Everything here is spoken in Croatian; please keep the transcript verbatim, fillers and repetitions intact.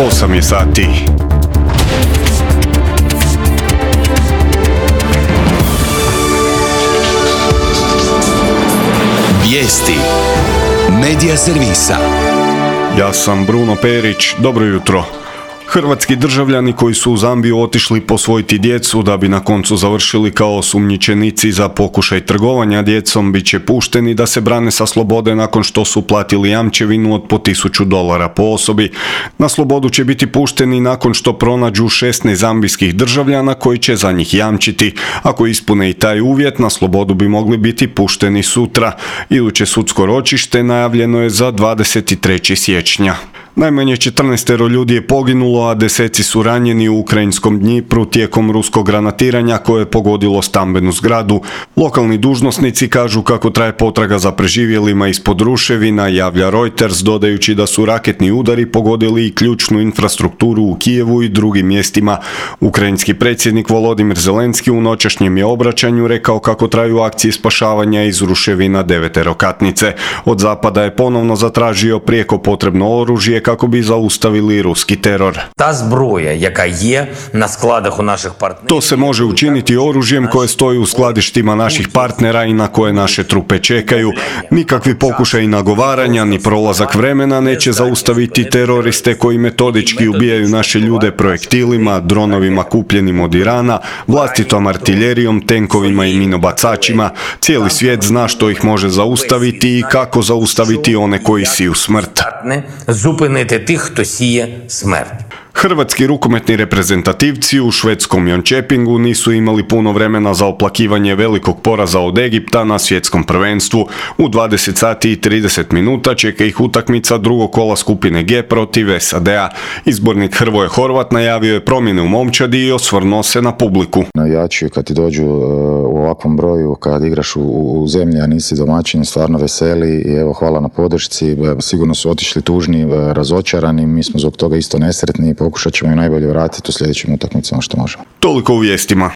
osam je sati. Vijesti Medija servisa. Ja sam Bruno Perić, dobro jutro. Hrvatski državljani koji su u Zambiju otišli posvojiti djecu da bi na koncu završili kao osumnjičenici za pokušaj trgovanja djecom bit će pušteni da se brane sa slobode nakon što su platili jamčevinu od po tisuću dolara po osobi. Na slobodu će biti pušteni nakon što pronađu šesnaest zambijskih državljana koji će za njih jamčiti. Ako ispune i taj uvjet, na slobodu bi mogli biti pušteni sutra. Iduće sudsko ročište najavljeno je za dvadeset trećeg siječnja. Najmanje četrnaest ljudi je poginulo, a deseci su ranjeni u ukrajinskom Dnjipru tijekom ruskog granatiranja koje je pogodilo stambenu zgradu. Lokalni dužnosnici kažu kako traje potraga za preživjelima ispod ruševina, javlja Reuters, dodajući da su raketni udari pogodili i ključnu infrastrukturu u Kijevu i drugim mjestima. Ukrajinski predsjednik Volodimir Zelenski u noćašnjem je obraćanju rekao kako traju akcije spašavanja iz ruševina deveterokatnice. Od zapada je ponovno zatražio prijeko potrebno oružje kako bi zaustavili ruski teror. Ta zbroja, jaka je na skladах u naših partnera. To se može učiniti oružjem koje stoji u skladištima naših partnera i na koje naše trupe čekaju. Nikakvi pokušaji nagovaranja ni prolazak vremena neće zaustaviti teroriste koji metodički ubijaju naše ljude projektilima, dronovima kupljenim od Irana, vlastitom artiljerijom, tenkovima i minobacačima. Cijeli svijet zna što ih može zaustaviti i kako zaustaviti one koji siju smrt. Zupiniti tih, хто сіє смерть. Hrvatski rukometni reprezentativci u švedskom Jönköpingu nisu imali puno vremena za oplakivanje velikog poraza od Egipta na svjetskom prvenstvu. U dvadeset sati i trideset minuta čeka ih utakmica drugog kola skupine G protiv S A D-a. Izbornik Hrvoje Horvat najavio je promjene u momčadi i osvrnuo se na publiku. Navijači kad ti dođu u ovakvom broju, kad igraš u, u zemlji, a nisi domaćin, stvarno veseli i evo hvala na podršci. Sigurno su otišli tužni, razočarani, mi smo zbog toga isto nesretni. Pokušat ćemo i najbolje vratiti u sljedećim utakmicama što možemo. Toliko u vijestima.